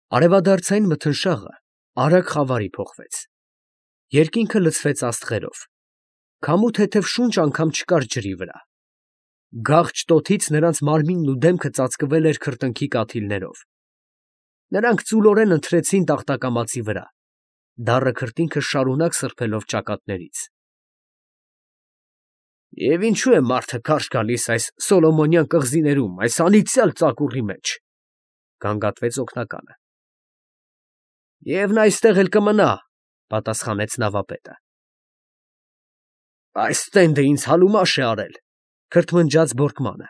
Արևադարձային մթնշաղը արագ խավարի փոխվեց, երկինքը լցվեց աստղերով, քամու թեթև շունչ անգամ չկար ջրի վրա, գաղջ տոթից նրանց մարմինն ու դեմքը ծածկվել էր քրտինքի կաթիլներով, նրանք ծուլորեն ընթրեցին տախտակամածի վրա, դառը քրտինքը շարունակ սրբելով ճակատներից։ Եվ ինչու է մարդը քարշ գալիս այս Սոլոմոնյան կղզիներում, այս անիծյալ ծակուռի մեջ, գանգատվեց օգնականը։ Եվ նա այստեղ էլ կմնա, պատասխանեց նավապետը։ Այս տենդը ինձ հալումաշ է արել, քրթմնջաց Բորկմանը։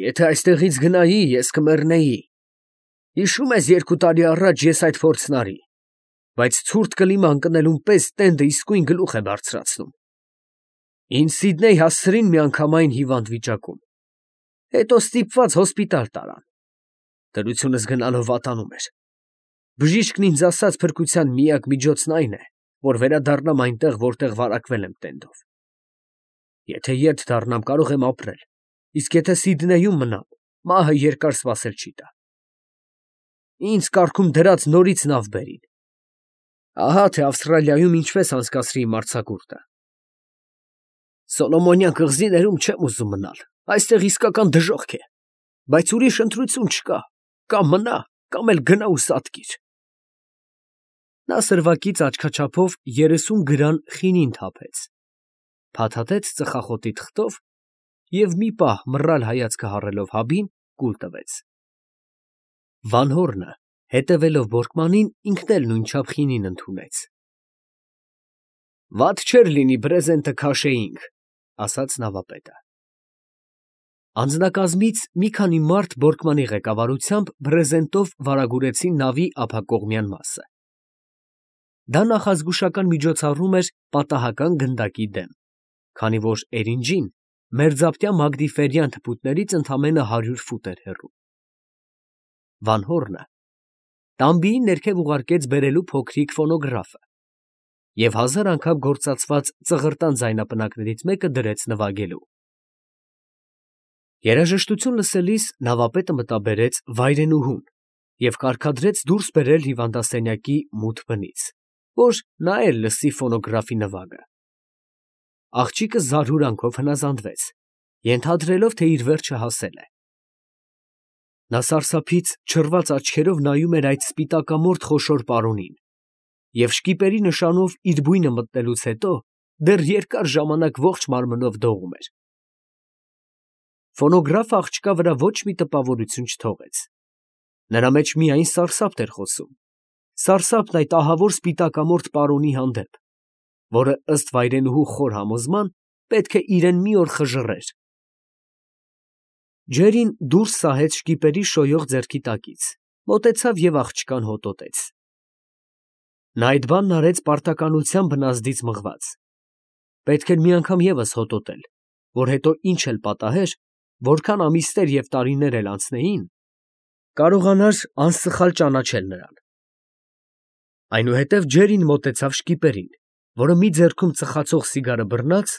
Եթե այստեղից գնայի, ես կմեռնեի։ Հիշում ես 2 տարի առաջ ես այդ փորձն արի, բայց ցուրտ կլիմա ընկնելուն պես տենդը իսկույն գլուխ է բարձրացնում։ Ինձ Սիդնեյ հասցրին միանգամայն հիվանդ վիճակում, հետո ստիպված հոսպիտալ տարան։ Դրությունս գնալով վատանում էր։ Բժիշկն ինձ ասաց փրկության միակ միջոցն այն է, որ վերադառնամ այնտեղ, որտեղ վարակվել եմ տենդով։ Եթե ետ դառնամ, կարող եմ ապրել, իսկ եթե Սիդնեյում մնամ, մահը երկար սպասել չի տա։ Ինձ կարգում դրած նորից նավ բերին։ Ահա թե Ավստրալիայում ինչպես անցկացրի իմ արձակուրդը։ Սոլոմոնյան կղզիներում չեմ ուզում մնալ, այստեղ իսկական դժոխք է, բայց ուրիշ ընտրություն չկա, կամ մնա, կամ էլ գնա ու սատկիր։ Նա սրվակից աչքաչափով 30 գրան խինին թափեց, փաթաթեց ծխախոտի թղթով և մի պահ մռայլ հայացքը հառելով Հաբին, կուլ տվեց։ Վան Հորնը, հետևելով Բորկմանին, ինքն էլ նույնչափ խինին ընդունեց։ Վատ չէր լինի բրեզենտը քաշեինք, ասաց նավապետը։ Անձնակազմից մի քանի մարդ Բորկմանի ղեկավարությամբ բրեզենտով վարագուրեցին նավի ափակողմյան մասը։ Դա նախազգուշական միջոցառում էր պատահական գնդակի դեմ, քանի որ Էրինջին մերձապտյա մագնիֆերյան թփուտներից ընդամենը 100 ֆուտ էր հեռու։ Վան Հորնը տամբիին ներքև ուղարկեց բերելու փոքրիկ ֆոնոգրաֆը և 1000 անգամ գործածված ծղրտան ձայնապնակներից մեկը դրեց նվագելու։ Երաժշտություն լսելիս նավապետը մտաբերեց վայրենուհուն և կարգադրեց դուրս բերել հիվանդասենյակի մութ բնից, որ նա էլ լսի ֆոնոգրաֆի նվագը։ Աղջիկը զարհուրանքով հնազանդվեց, ենթադրելով, թե իր վերջը հասել է։ Նա սարսափից չռված աչքերով նայում էր այդ սպիտակամորթ խոշոր պարոնին և շկիպերի նշանով իր բույնը մտնելուց հետո դեռ երկար ժամանակ ողջ մարմնով դողում էր։ Ֆոնոգրաֆը աղջկա վրա ոչ մի տպավորություն չթողեց։ Նրա մեջ միայն սարսափն էր խոսում, սարսափն այդ ահավոր սպիտակամորթ պարոնի հանդեպ, որը ըստ վայրենուհու խոր համոզման պետք է իրեն մի օր խժռեր։ Ջերին դուրս սահեց շկիպերի շոյող ձեռքի տակից, մոտեցավ և աղջկան հոտոտեց։ Նա այդ բանն արեց պարտականության բնազդից մղված։ Պետք էր մի անգամ ևս հոտոտել, որ հետո ինչ էլ պատահեր, որքան ամիսներ և տարիներ էլ անցնեին, կարողանար անսխալ ճանաչել նրան։ Այնուհետև Ջերին մոտեցավ շկիպերին, որը մի ձեռքում ծխացող սիգարը բռնած,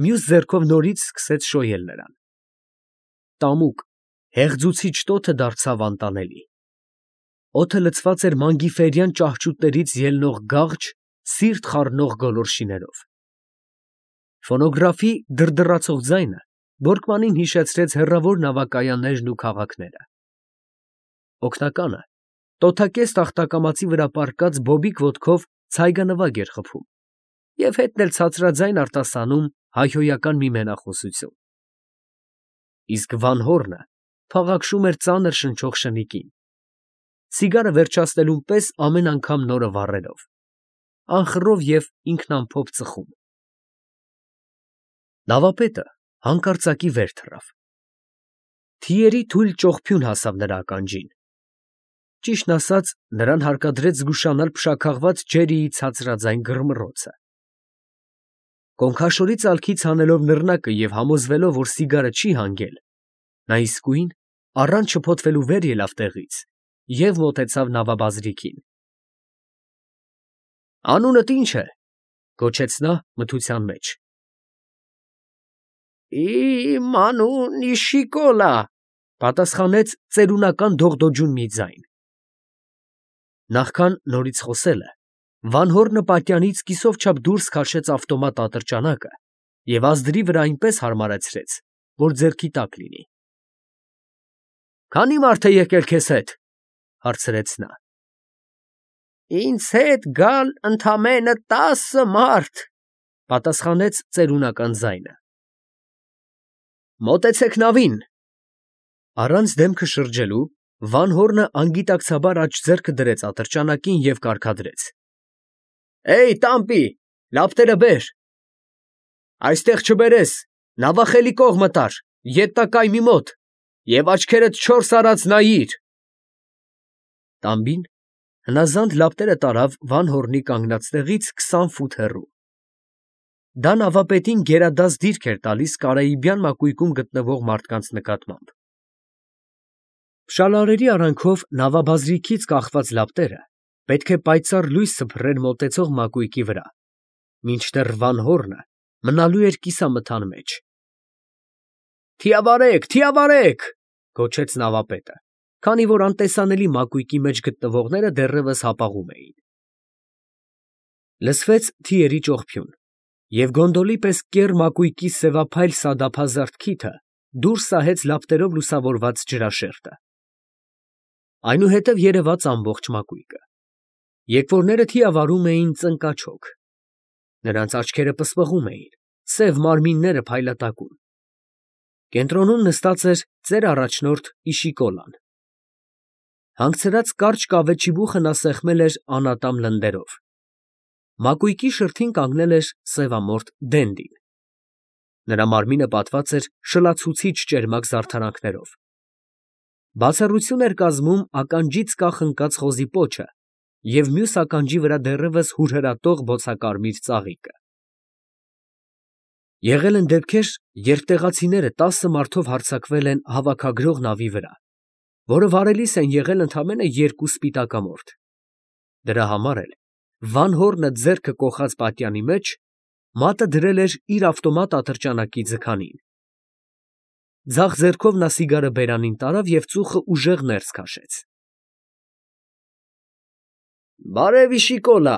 մյուս ձեռքով նորից սկսեց շոյել նրան։ Տամուկ, հեղձուցիչ տոթը դարձավ անտանելի։ Օդը լցված էր մանգիֆերյան ճահճուտներից ելնող գաղջ, սիրտ խառնող գոլորշիներով։ Ֆոնոգրաֆի դրդռացող ձայնը Բորկմանին հիշեցրեց հեռավոր նավակայաններն ու քաղաքները։ Օգնականը տոթակես տախտակամածի վրա պառկած բոբիկ ոտքով ցայգանվագ էր խփում և հետն էլ ցածրաձայն արտասանում հայհոյական մի մենախոսություն։ Իսկ Վան Հորնը փաղաքշում էր ծանր շնչող շնիկին, սիգարը վերջացնելուն պես ամեն անգամ նորը վառելով, անխռով և ինքնամփոփ ծխում։ Նավապետը հանկարծակի վեր թռավ։ Թիերի թույլ ճողփյուն հասավ նրա ականջին։ Ճիշտն ասած, նրան հարկադրեց զգուշանալ փշաքաղված Ջերիի ցածրաձայն գրմռոցը։ Կոնքաշորի ծալքից հանելով նռնակը և համոզվելով, որ սիգարը չի հանգել, նա իսկույն, առանց շփոթվելու վեր ելավ տեղից և մոտեցավ նավաբազրիկին։ «Անունդ ի՞նչ է», գոչեց նա մթության մեջ։ «Իմ անունը Իշիկոլ ա», պատասխանեց ծերունական դողդոջուն մի ձայն։ Նախքան նորից խոսելը, Վանհորնը պատյանից կիսով չափ դուրս քաշեց ավտոմատ ատրճանակը և ազդրի վրա այնպես հարմարեցրեց, որ ձեռքի տակ լինի։ «Քանի՞ մարդ է եկել քեզ հետ, ֊ հարցրեց նա։ ֊ Ինձ հետ գալ ընդամենը 10 մարդ, ֊ պատասխանեց ծերունական ձայնը։ ֊ Մոտեցեք նավին։ Առանց դեմքը շրջելու, Վանհորնը անգիտակցաբար աջ ձեռքը դրեց ատրճանակին և կարգադրեց. «Էյ, տամպի, լապտերը բեր։ Այստեղ չբերես, նավախելի կողմը տար, ետակայմի մոտ, և աչքերդ 4 արած նայիր»։ Տամբին հնազանդ լապտերը տարավ Վանհորնի կանգնած տեղից 20 ֆուտ հեռու։ Դա նավապետին գերադաստ դիրք էր տալիս Կարաիբյան մակույկում գտնվող մարդկանց նկատմամբ։ Փշալարերի արանքով նավաբազրիքից կախված լապտերը պետք է պայծառ լույս սփռեր մոտեցող մակույկի վրա, մինչդեռ Վանհորնը մնալու էր կիսամթան մեջ։ «Թիավարեք, թիավարեք, ֊ գոչեց նավապետը, քանի որ անտեսանելի մակույկի մեջ գտնվողները դեռևս հապաղում էին։ Լսվեց թիերի ճողփյուն, և գոնդոլի պես կեռ մակույկի սևափայլ սադափազարդ քիթը դուրս սահեց լապտերով լուսավորված ջրաշերտը։ Այնուհետև երևաց ամբողջ մակույկը։ Եկվորները թիավարում էին ծնկաչոք։ Նրանց աչքերը պսպղում էին, սև մարմինները փայլատակում։ Կենտրոնում նստած էր ծեր առաջնորդ Իշիկոլան։ Հանգցրած կարճ կավե չիբուխը նա սեղմել էր անատամ լնդերով։ Մակույկի շրթին կանգնել էր սևամորթ Դենդին։ Նրա մարմինը պատված էր շլացուցիչ ճերմակ զարդարանքներով։ Բացառություն էր կազմում ականջից կախ ընկած խոզի պոչը և մյուս ականջի վրա դեռևս հուրհրատող բոցակարմիր ծաղիկը։ Եղել են դեպքեր, երբ տեղացիները 10 մարդով հարձակվել են հավաքագրող նավի վրա, որը վարելիս են եղել ընդամենը 2 սպիտակամորթ։ Դրա համար էլ Վանհորնը ձեռքը կոխած պատյանի մեջ մատը դրել էր իր ավտոմատ ատրճանակի ձգանին։ Ձախ ձեռքով նա սիգարը բերանին տարավ և ծուխը ուժեղ ներս քաշեց։ «Բարև, Իշիկոլա,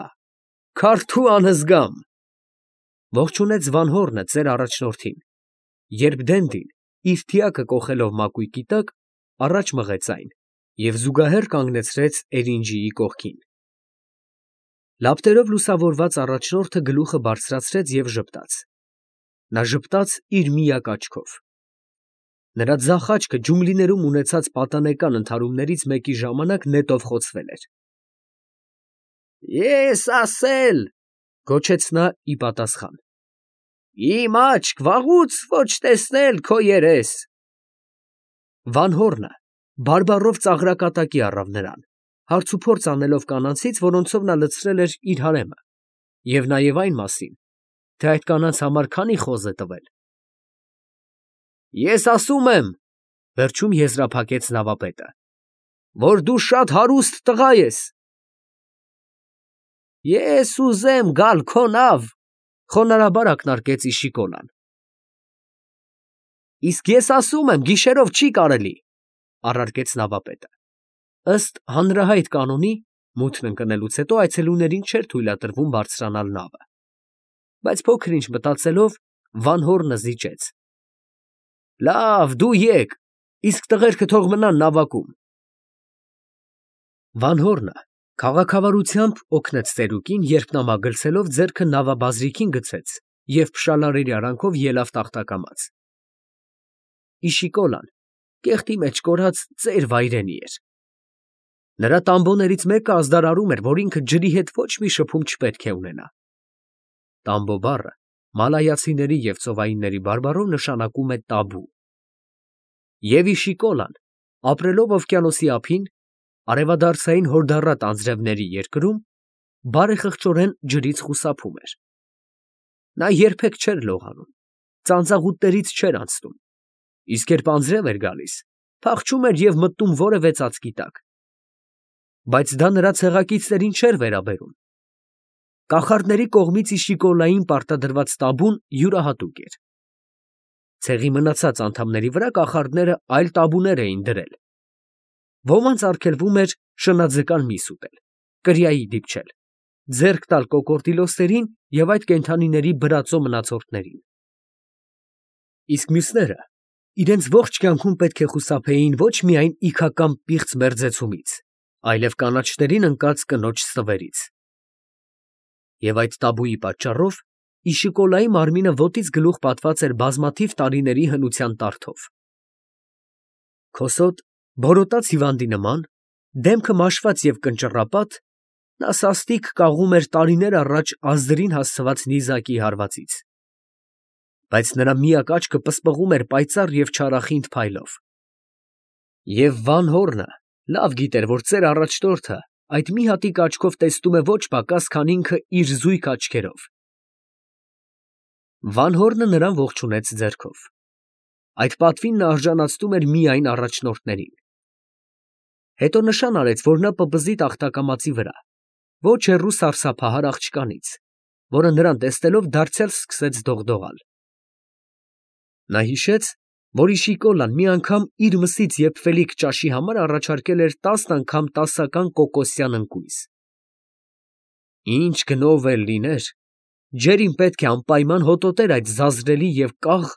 քարթու անհզգամ, ֊ ողջունեց Վանհորնը ծեր առաջնորդին, երբ Դենդին, իր թիակը կոխելով մակույկի տակ, առաջ մղեց այն և զուգահեռ կանգնեցրեց էրինջիի կողքին։ Լապտերով լուսավորված առաջնորդը գլուխը բարձրացրեց և ժպտաց։ Նա ժպտաց իր միակ աչքով։ Նրա ձախ աչքը ջունգլիներում ունեցած պատանեկան ընդհարումներից մեկի ժամանակ նետով խոցվել էր։ «Ես ասել, ֊ գոչեց նա ի պատասխան, ֊ իմ աչք վաղուց ոչ տեսնել քո երես»։ Վանհորնը բարբառով ծաղրակատակի առավ նրան, հարցուփորձ անելով կանանցից, որոնցով նա լցրել էր իր հարեմը, և նաև այն մասին, թե այդ կանանց համար քանի խոզ է տվել։ «Ես ասում եմ, ֊ վերջում եզրափակեց նավապետը, ֊ որ դու շատ հարուստ տղա ես»։ «Ես ուզեմ գալ քո նավ, ֊ խոնարհաբար ակնարկեց Իշիկոլան։ ֊ Իսկ ես ասում եմ, գիշերով չի կարելի, ֊ առարկեց նավապետը։ Ըստ հանրահայտ կանոնի, մութն ընկնելուց հետո այցելուներին չէր թույլատրվում բարձրանալ նավը, բայց փոքր ինչ մտածելով, Վանհորնը զիջեց. «Լավ, դու եկ, իսկ տղերքը թող մնան նավակում»։ Վանհորնը քաղաքավարությամբ օգնեց ծերուկին, երբ նա մագլցելով ձեռքը նավաբազրիքին գցեց և փշալարերի արանքով ելավ տախտակամած։ Իշիկոլան կեղտի մեջ կորած ծեր վայրենի էր։ Նրա տամբոներից մեկը ազդարարում էր, որ ինքը ջրի հետ ոչ մի շփում չպետք է ունենա։ Տամբո բառը մալայացիների և ծովայինների բարբառով նշանակում է տաբու։ Եվ Իշիկոլան, ապրելով օվկիանոսի ափին, արևադարձային հորդառատ անձրևների երկրում, բարեխղճորեն ջրից խուսափում էր։ Նա երբեք չէր լողանում, ծանծաղուտներից չէր անցնում, իսկ երբ անձրև էր գալիս, փախչում էր և մտնում որևէ ծածկի տակ։ Բայց դա նրա ցեղակիցներին չէր վերաբերում։ Կախարդների կողմից Իշիկոլային պարտադրված տաբուն յուրահատուկ էր։ Ցեղի մնացած անդամների վրա կախարդները այլ տաբուներ էին դրել։ Ոմանց արգելվում էր շնաձկան միս ուտել, կրիայի դիպչել, ձեռք տալ կոկորդիլոսներին և այդ կենդանիների բրածո մնացորդներին։ Իսկ մյուսները իրենց ողջ կյանքում պետք է խուսափեին ոչ միայն իգական պիղծ մերձեցումից, այլև կանաչներին ընկած կնոջ ստվերից։ Եվ այդ տաբուի պատճառով Իշիկոլայի մարմինը ոտից գլուխ պատված էր բազմաթիվ տարիների հնության տարթով։ Քոսոտ, բորոտած հիվանդի նման, դեմքը մաշված և կնճռապատ, նա սաստիկ կաղում էր տարիներ առաջ ազդրին հասցված նիզակի հարվածից, բայց նրա միակ աչքը պսպղում էր պայծառ և չարախինդ փայլով։ Եվ Վան Հորնը լավ գիտեր, որ ծեր առաջնորդը այդ մի հատիկ աչքով տեսնում է ոչ պակաս, քան ինքը իր զույգ աչքերով։ Վան Հորնը նրան ողջունեց ձեռքով։ Այդ պատվին նա արժանացնում էր միայն առաջնորդներին։ Հետո նշան արեց, որ նա պպզի տախտակամածի վրա, ոչ հեռու սարսափահար աղջկանից, որը նրան տեսնելով դարձյալ սկսեց դողդողալ։ Նա հիշեց, որ Իշիկոլան մի անգամ իր մսից եփվելիք ճաշի համար առաջարկել էր 10 անգամ 10-ական կոկոսյան ընկույզ։ Ինչ գնով էլ լիներ, ջերին պետք է անպայման հոտոտեր այդ զազրելի և կաղ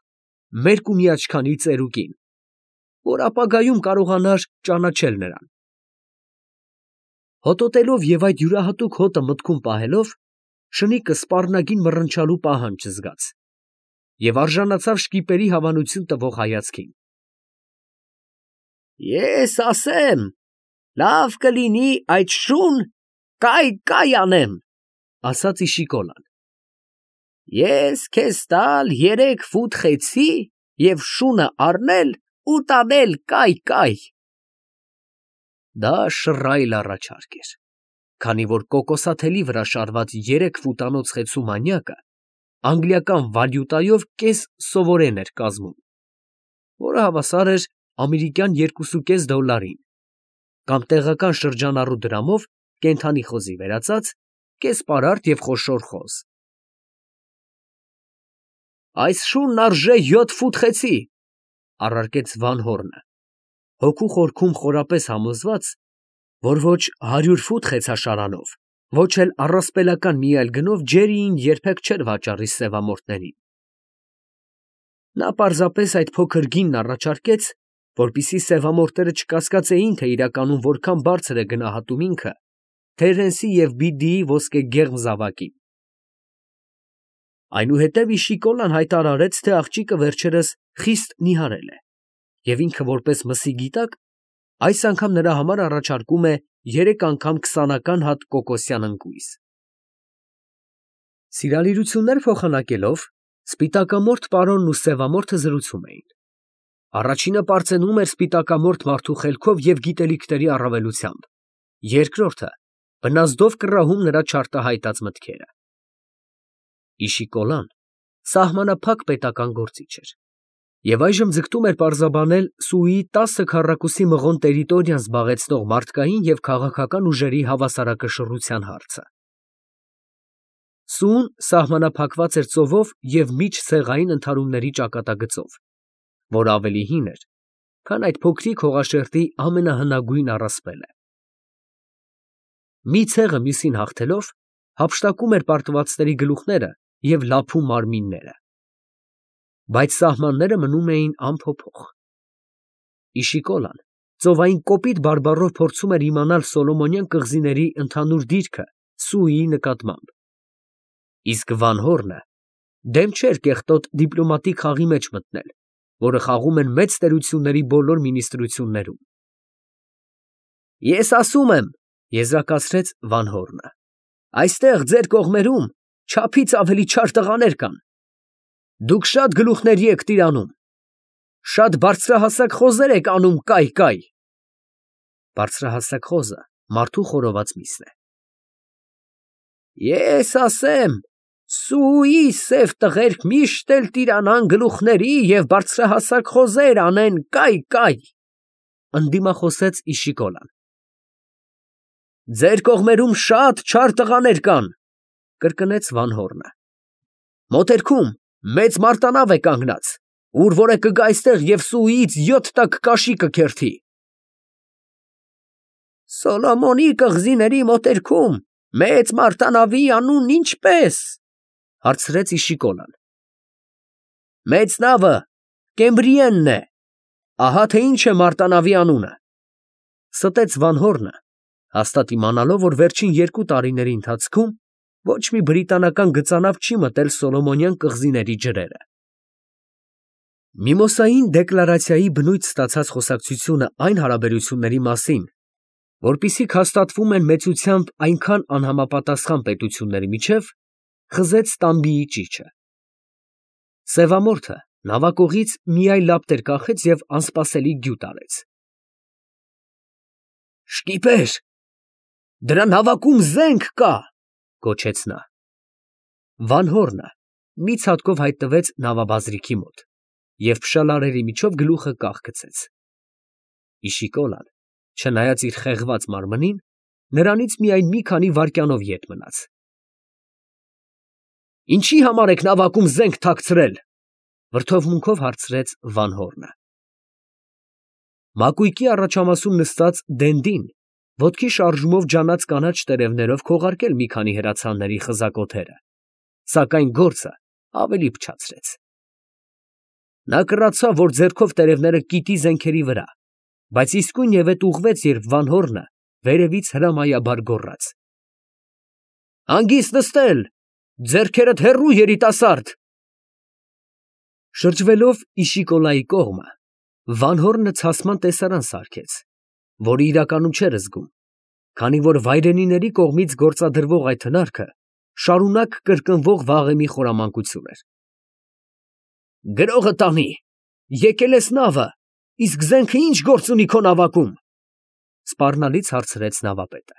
մերկ ու միաչքանի ծերուկին, որ ապագայում կարողանար ճանաչել նրան։ Հոտոտելով և այդ յուրահատուկ հոտը մտքում պահելով, շնիկը սպառնագին մռնչալու պահանջ զգաց և արժանացավ շկիպերի հավանություն տվող հայացքին։ Ես ասեմ, լավ կլինի այդ շուն կայ անեմ, ասաց Իշիկոլան։ Ես քեզ տալ 3 ֆուտ խեցի և շունը առնել ու տանել կայ։ Դա շռայլ առաջարկ էր, քանի որ կոկոսաթելի վրա շարված 3 ֆուտանոց խեցու մանյակը անգլիական վալյուտայով կես սովորեն էր կազմում, որը հավասար էր ամերիկյան 2.5 դոլարին, կամ տեղական շրջանառու դրամով կենդանի խոզի վերածած կես պարարտ և խոշոր խոզ։ Այս շունն արժե 7 ֆուտ խեցի, առարկեց Վան Հորնը, հոգու խորքում խորապես համոզված, որ ոչ 100 ֆուտ խեցաշարանով, ոչ էլ առասպելական մի այլ գնով Ջերիին երբեք չէր վաճառի սևամորթներին։ Նա պարզապես այդ փոքր գինն առաջարկեց, որպեսզի սևամորթերը չկասկածեին, թե իրականում որքան բարձր է գնահատում ինքը Թերենսի և Բիդդիի ոսկեգեղմ զավակին։ Այնուհետև Իշիկոլան հայտարարեց, թե աղջիկը վերջերս խիստ նիհարել է, և ինքը որպես մսի գիտակ, այս անգամ նրա համար առաջարկում է 3 անգամ 20-ական հատ կոկոսյան ընկույզ։ Սիրալիրություններ փոխանակելով, սպիտակամորթ պարոնն ու սևամորթը զրուցում էին։ Առաջինը պարծենում էր սպիտակամորթ մարդու խելքով և գիտելիքների առավելությամբ, երկրորդը բնազդով կռահում նրա չարտահայտած մտքերը։ Իշիկոլան սահմանափակ պետական գործիչ էր և այժմ ձգտում էր պարզաբանել Սուի 10 քառակուսի մղոն տերիտորիան զբաղեցնող մարդկային և քաղաքական ուժերի հավասարակշռության հարցը։ Սուն սահմանափակված էր ծովով և միջցեղային ընդհարումների ճակատագծով, որը ավելի հին էր, քան այդ փոքրիկ հողաշերտի ամենահնագույն առասպելը։ Մի ցեղը մյուսին հաղթելով, հափշտակում էր պարտվածների գլուխները և լափում մարմինները, բայց սահմանները մնում էին անփոփոխ։ Իշիկոլան ծովային կոպիտ բարբառով փորձում էր իմանալ Սոլոմոնյան կղզիների ընդհանուր դիրքը Սուիի նկատմամբ, իսկ Վան Հորնը դեմ չէր կեղտոտ դիպլոմատիկ խաղի մեջ մտնել, որը խաղում են մեծ տերությունների բոլոր մինիստրություններում։ Ես ասում եմ, եզրակացրեց Վան Հորնը, այստեղ ձեր կողմերում չափից ավելի չար տղաներ կան։ Դուք շատ գլուխների եք տիրանում, շատ բարձրահասակ խոզեր եք անում կայ։ Բարձրահասակ խոզը մարդու խորոված միսն է։ Ես ասեմ, Սուի սև տղերք միշտ էլ տիրանան գլուխների և բարձրահասակ խոզեր անեն կայ, ընդդիմախոսեց Իշիկոլան։ Ձեր կողմերում շատ չար տղաներ կան, կրկնեց Վան Հորնը։ Մոտերքում մեծ մարտանավ է կանգնած, ուր որը կգա այստեղ և Սուիից 7 տակ կաշի կքերթի։ Սոլոմոնի կղզիների մոտերքում մեծ մարտանավի անունն ինչպե՞ս, հարցրեց Իշիկոլան։ Մեծ նավը Կեմբրիենն է, ահա թե ինչ է մարտանավի անունը, ստեց Վանհորնը, հաստատ իմանալով, որ վերջին 2 տարիների ընթացքում ոչ մի բրիտանական գծանավ չի մտել Սոլոմոնյան կղզիների ջրերը։ Միմոսային դեկլարացիայի բնույթ ստացած խոսակցությունը այն հարաբերությունների մասին, որպիսիք հաստատվում են մեծությամբ այնքան անհամապատասխան պետությունների միջև, խզեց Տամբիի ճիչը։ Սևամորթը նավակողից միայն լապտեր կախեց և անսպասելի գյուտ արեց։ «Շկիպեր, դրա նավակում զենք կա», գոչեց նա։ Վանհորնը մի ցատկով հայտնվեց նավաբազրիքի մոտ և փշալարերի միջով գլուխը կախ գցեց։ Իշիկոլան, չնայած իր խեղված մարմնին, նրանից միայն մի քանի վայրկյանով ետ մնաց։ «Ինչի համար եք նավակում զենք թաքցրել», վրդովմունքով հարցրեց Վանհորնը։ Մակույկի առաջամասում նստած Դենդին ոտքի շարժումով ջանաց կանաչ տերևներով քողարկել մի քանի հրացանների խզակոթերը, սակայն գործը ավելի փչացրեց։ Նա կռացավ, որ ձեռքով տերևները կիտի զենքերի վրա, բայց իսկույնևեթ ուղղվեց, երբ Վանհորնը վերևից հրամայաբար գոռաց. «Հանգիստ նստել, ձեռքերդ հեռու, երիտասարդ»։ Շրջվելով Իշիկոլայի կողմը, Վանհորնը ցասման տեսարան սարքեց, որը իրականում չէր զգում, քանի որ վայրենիների կողմից գործադրվող այդ հնարքը շարունակ կրկնվող վաղեմի խորամանկություն էր։ «Գրողը տանի, եկել ես նավը, իսկ զենքը ի՞նչ գործ ունի քո նավակում», սպառնալից հարցրեց նավապետը։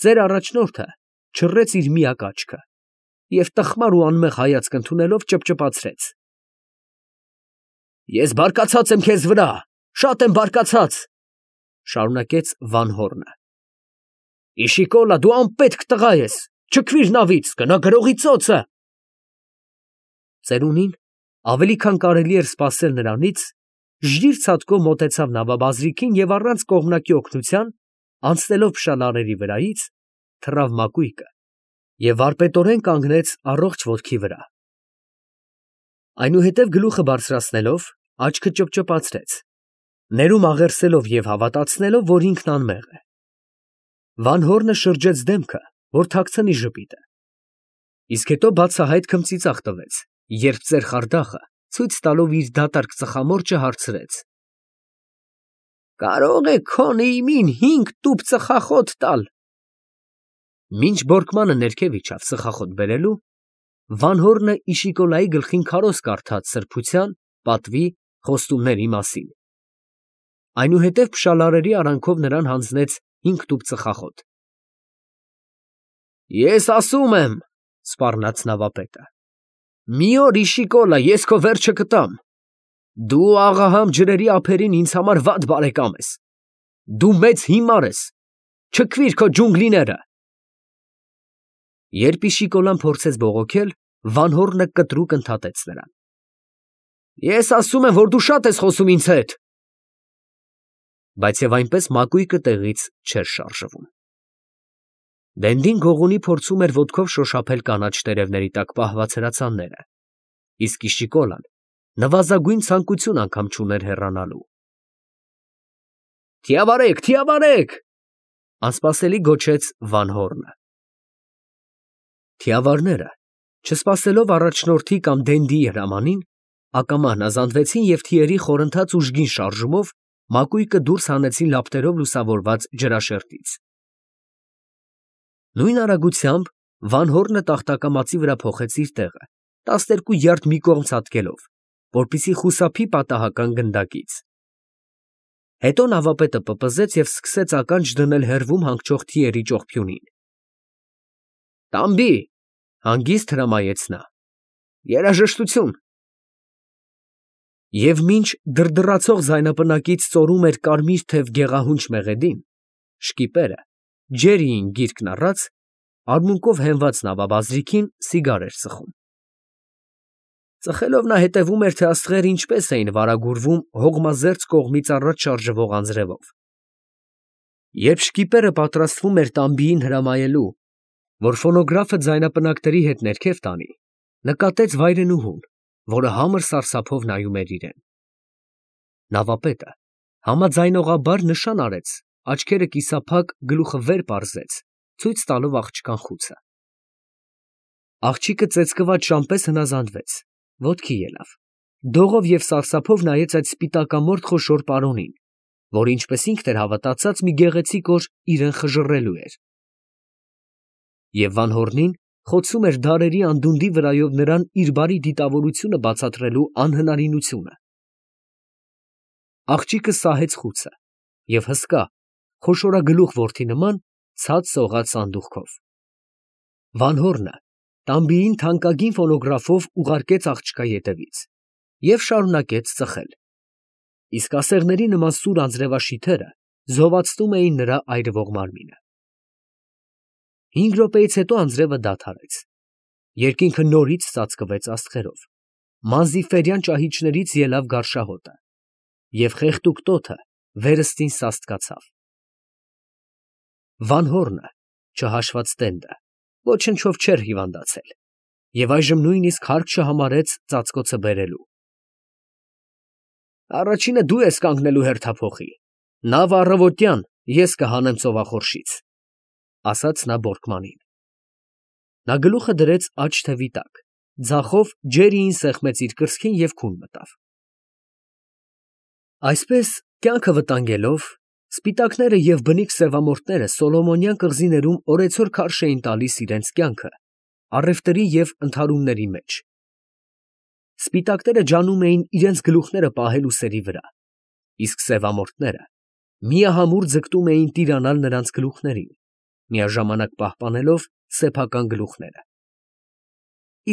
Ծեր առաջնորդը չռեց իր միակ աչքը և տխմար ու անմեղ հայացք ընդունելով ճպճպացրեց. «Ես բարկացած եմ քեզ վրա, շատ եմ բարկացած», շարունակեց Վանհորնը։ «Իշիկոլա, դու անպետք տղա ես, չքվիր նավից, գնա գրողի ծոցը»։ Ծերունին ավելի քան կարելի էր սպասել նրանից, ժիր ցատկով մոտեցավ նավաբազրիկին և առանց կողմնակի օգնության, անցնելով փշալարերի վրայից, թռավ մակույկը և վարպետորեն կանգնեց առողջ ոտքի վրա։ Այնուհետև գլուխը բարձրացնելով, աչքը ճպճպացրեց, ներում աղերսելով և հավատացնելով, որ ինքն անմեղ է։ Վանհորնը շրջեց դեմքը, որ թաքցնի ժպիտը, իսկ հետո բացահայտ քմծիծաղ տվեց, երբ ծեր Խարդախը, ցույց տալով իր դատարկ ծխամորճը, հարցրեց. «Կարո՞ղ է քոնը իմին 5 տուփ ծխախոտ տալ»։ Մինչ Բորկմանը ներքև իջավ ծխախոտ բերելու, Վանհորնը Իշիկոլայի գլխին քարոզ կարդաց սրբության, պատվի, խոստումների մասին։ Այնուհետև փշալարերի արանքով նրան հանձնեց 5 տուփ ծխախոտ։ «Ես ասում եմ, ֊ սպառնաց նավապետը, ֊ մի օր, Իշիկոլա, ես քո վերջը կտամ։ Դու աղահամ ջրերի ափերին ինձ համար վատ բարեկամ ես։ Դու մեծ հիմար ես, չքվիր քո ջունգլիները»։ Երբ Իշիկոլան փորձեց բողոքել, Վանհորնը կտրուկ ընդհատեց նրան. «Ես ասում եմ, որ դու շատ ես խոսում ինձ հետ»։ Բայց և այնպես մակույկը տեղից չէր շարժվում։ Դենդին գողունի փորձում էր ոտքով շոշափել կանաչ տերևների տակ պահված հրացանները, իսկ Իշիկոլան նվազագույն ցանկություն անգամ չուներ հեռանալու։ «Թիավարեք, թիավարեք», անսպասելի գոչեց Վանհորնը։ Թիավարները, չսպասելով առաջնորդի կամ Դենդիի հրամանին, ակամա հնազանդվեցին և թիերի խորընթաց ուժգին շարժումով մակույկը դուրս հանեցին լապտերով լուսավորված ջրաշերտից։ Նույն արագությամբ Վանհորնը տախտակամածի վրա փոխեց իր տեղը, 12 յարդ մի կողմ ցատկելով, որպեսզի խուսափի պատահական գնդակից։ Հետո նավապետը պպզեց և սկսեց ականջ դնել հեռվում հանգչող թիերի ճողփյունին։ «Տամբի», հանգիստ հրամայեց նա, «երաժշտություն»։ Եվ մինչ դրդռացող ձայնապնակից ծորում էր կարմիր թև գեղահունչ մեղեդին, շկիպերը, ջերիին գիրկն առած, արմունկով հենված նավաբազրիկին սիգար էր ծխում։ Ծխելով նա հետևում էր, թե աստղերը ինչպես էին վարագուրվում հողմազերծ կողմից առաջ շարժվող անձրևով։ Երբ շկիպերը պատրաստվում էր տամբիին հրամայելու, որ ֆոնոգրաֆը ձայնապնակների հետ ներքև տանի, նկատեց վայրենուհուն, որը համր սարսափով նայում էր իրեն։ Նավապետը համաձայնողաբար նշան արեց, աչքերը կիսափակ, գլուխը վեր պարզեց, ցույց տալով աղջկան խուցը։ Աղջիկը ծեծկված շամպես հնազանդվեց, ոտքի ելավ, դողով և սարսափով նայեց այդ սպիտակամորթ խոշոր պարոնին, որ ինչպես ինքն էր հավատացած մի գեղեցիկ օր իրեն խժռելու էր։ Եվ Վանհոռնին խոցում էր դարերի անդունդի վրայով նրան իր բարի դիտավորությունը բացատրելու անհնարինությունը։ Աղջիկը սահեց խուցը և հսկա, խոշորագլուխ որդի նման ցած սողաց սանդուղքով։ Վանհոռնը տամբիին թանկագին ֆոնոգրաֆով ուղարկեց աղջկա ետևից և շարունակեց ծխել, իսկ ասեղների նման սուր անձրևաշիթերը զովացնում էին նրա այրվող մարմինը։ 5 րոպեից հետո անձրևը դադարեց, երկինքը նորից ծածկվեց աստղերով, մանզիֆերյան ճահիճներից ելավ գարշահոտը, և խեղդուկ տոթը վերստին սաստկացավ։ Վանհոռնը, չհաշված տենդը, ոչնչով չէր հիվանդացել և այժմ նույնիսկ հարկ չհամարեց ծածկոցը բերելու։ Առաջինը դու ես կանգնելու հերթափոխի, նավը առավոտյան ես կհանեմ ծովախորշից, ֊ ասաց նա Բորկմանին։ Նա գլուխը դրեց աջ թևի տակ, ձախով ջերիին սեղմեց իր կրծքին և քուն մտավ։ Այսպես կյանքը վտանգելով, սպիտակները և բնիկ սևամորթները Սոլոմոնյան կղզիներում օրեցօր քարշ էին տալիս իրենց կյանքը առևտրի և ընդհարումների մեջ։ Սպիտակները ջանում էին իրենց գլուխները պահել ուսերի վրա, իսկ սևամորթները միահամուռ ձգտում էին տիրանալ նրանց գլուխներին, միաժամանակ պահպանելով սեփական գլուխները։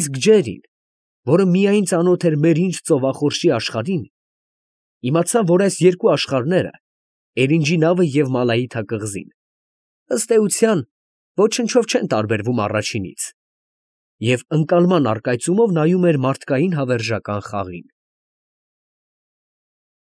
Իսկ ջերին, որը միայն ծանոթ էր Մերինջ ծովախորշի աշխարհին, իմացավ, որ այս երկու աշխարհները՝ Էրինջի նավը և Մալայիթա կղզին, ըստ էության, ոչնչով չեն տարբերվում առաջինից, և ընկալման առկայծումով նայում էր մարդկային հավերժական խաղին։